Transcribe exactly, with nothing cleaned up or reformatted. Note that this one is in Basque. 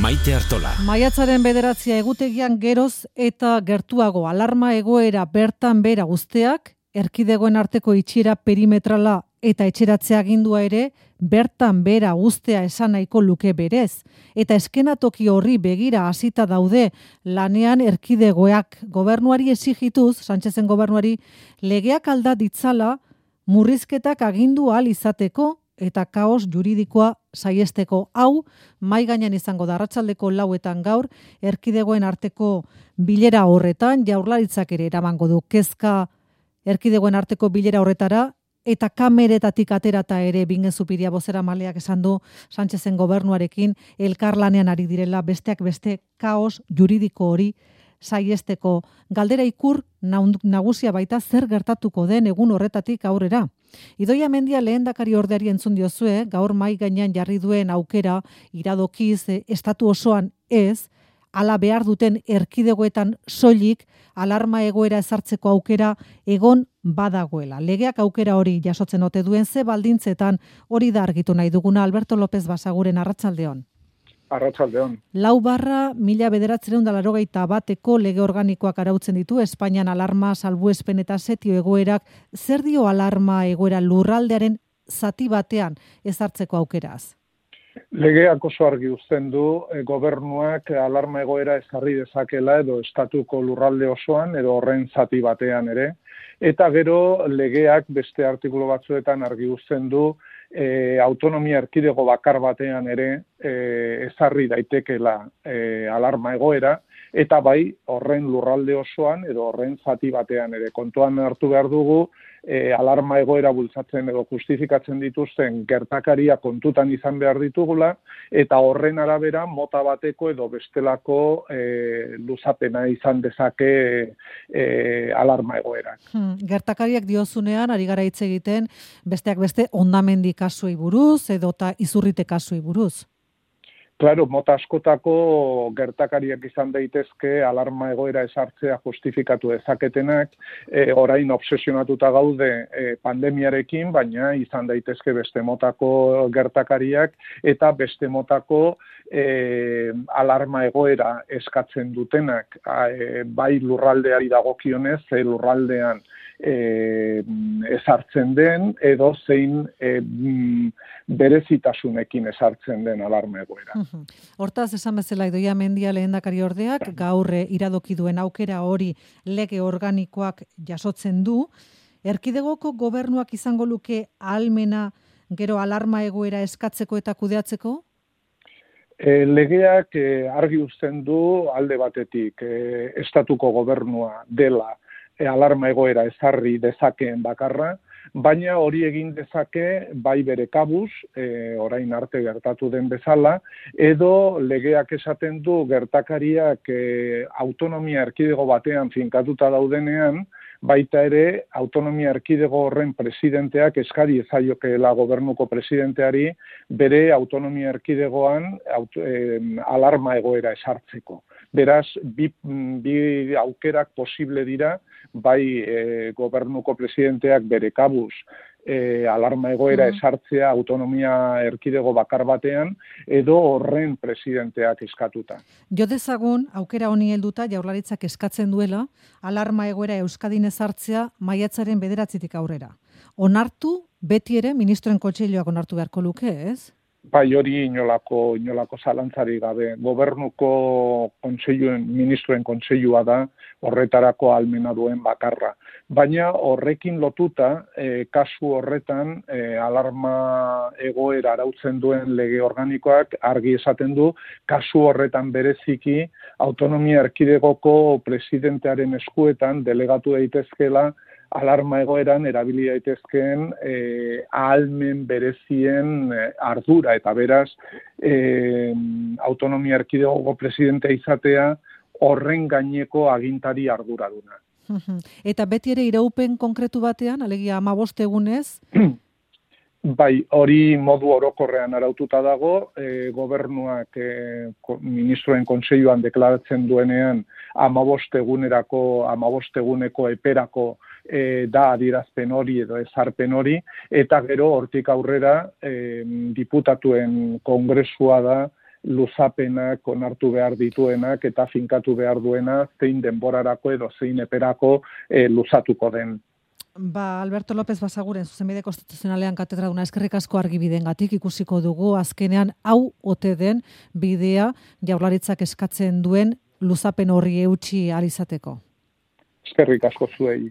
Maite Artola. Maiatzaren bederatzia egutegian geroz eta gertuago alarma egoera bertan bera guzteak, erkidegoen arteko itxiera perimetrala eta etxeratzea agindua ere, bertan bera guztea esan nahiko luke berez. Eta eskenatoki horri begira hasita daude lanean erkidegoak gobernuari exigituz, Sánchezen gobernuari, legeak alda ditzala murrizketak agindu ahal izateko eta kaos juridikoa saiesteko. Hau, mai gainean izango da arratsaldeko lauetan gaur, erkidegoen arteko bilera horretan, Jaurlaritzak ere eramango du kezka erkidegoen arteko bilera horretara, eta kameretatik aterata ere Bingen Zupiria bozeramaileak esan du Sánchezen gobernuarekin elkarlanean ari direla besteak beste kaos juridiko hori saiesteko. Galdera ikur nagusia baita zer gertatuko den egun horretatik aurrera. Idoia Mendia lehendakari ordeari entzun diozue, gaur mai gainean jarri duen aukera iradokiz e, estatu osoan ez, ala behar duten erkidegoetan soilik alarma egoera ezartzeko aukera egon badagoela. Legeak aukera hori jasotzen ote duen ze baldintzetan hori da argitu nahi duguna. Alberto López Basaguren arratsaldeon. Arratsaldeon. Lau barra mila bederatziehun eta laurogeita bateko lege organikoak arautzen ditu Espainian alarma, salbuespen eta setio egoerak. Zer dio alarma egoera lurraldearen zati batean ezartzeko aukeraz? Legeak oso argi uzten du e, gobernuak alarma egoera ezarri dezakela edo estatuko lurralde osoan edo horren zati batean ere. Eta gero legeak beste artikulu batzuetan argi uzten du e, autonomia erkidego bakar batean ere e, ezarri daitekela e, alarma egoera, eta bai horren lurralde osoan edo horren zati batean ere. Kontuan hartu behar dugu e, alarma egoera bultzatzen edo justifikatzen dituzten gertakaria kontutan izan behar ditugula, eta horren arabera mota bateko edo bestelako e, luzapena izan dezake e, alarma egoerak. Hmm, gertakariak diozunean, ari gara hitz egiten, besteak beste hondamendi kasuei buruz edota izurrite kasuei buruz. Claro, mota askotako gertakariak izan daitezke alarma egoera ezartzea justifikatu dezaketenak, e, orain obsesionatuta gaude e, pandemiarekin, baina izan daitezke beste motako gertakariak eta beste motako e, alarma egoera eskatzen dutenak, e, bai lurraldeari dagokionez, e, lurraldean E, ezartzen den edo zein e, berezitasunekin ezartzen den alarma egoera. Hortaz, esan bezala Idoia Mendia lehendakari ordeak gaur iradoki duen aukera hori lege organikoak jasotzen du. Erkidegoko gobernuak izango luke ahalmena gero alarma egoera eskatzeko eta kudeatzeko? E, legeak e, argi uzten du alde batetik e, estatuko gobernua dela alarma egoera ezarri dezakeen bakarra, baina hori egin dezake bai bere kabuz, e, orain arte gertatu den bezala, edo legeak esaten du gertakariak e, autonomia erkidego batean finkatuta daudenean, baita ere autonomia erkidego horren presidenteak eskari ezaiokeela gobernuko presidenteari bere autonomia erkidegoan auto, e, alarma egoera esartzeko. Beraz, bi, bi aukerak posible dira, bai e, gobernuko presidenteak bere kabuz e, alarma egoera mm. esartzea autonomia erkidego bakar batean, edo horren presidenteak eskatuta. Jo dezagun, aukera honi helduta Jaurlaritzak eskatzen duela, alarma egoera Euskadin ezartzea maiatzaren bederatzitik aurrera. Onartu, beti ere, ministroen kontseiluak onartu beharko luke, ez? Bai, hori inolako, inolako zalantzari gabe. Gobernuko kontseiluen, ministroen kontseilua da horretarako ahalmena duen bakarra. Baina horrekin lotuta, e, kasu horretan, e, alarma egoera arautzen duen lege organikoak argi esaten du, kasu horretan bereziki autonomia erkidegoko presidentearen eskuetan delegatu daitezkeela alarma egoeran erabili daitezkeen eh, ahalmen berezien eh, ardura, eta beraz eh, autonomia erkidegoko presidentea izatea horren gaineko agintari arduraduna. Eta beti ere iraupen konkretu batean, alegia hamabost egunez? Bai, hori modu orokorrean araututa dago, e, gobernuak e, ko, ministroen kontseiluan deklaratzen duenean hamabost egunerako, hamabost eguneko eperako e, da adierazpen hori edo ezarpen hori, eta gero hortik aurrera e, diputatuen kongresua da luzapenak onartu behar dituenak eta finkatu behar duena zein denborarako edo zein eperako e, luzatuko den. Ba, Alberto López Basaguren, zuzenbide konstituzionalean katedraduna, eskerrik asko argibidengatik ikusiko dugu azkenean hau ote den bidea Jaurlaritzak eskatzen duen luzapen horri eutsi ahal izateko. Eskerrik asko zuei.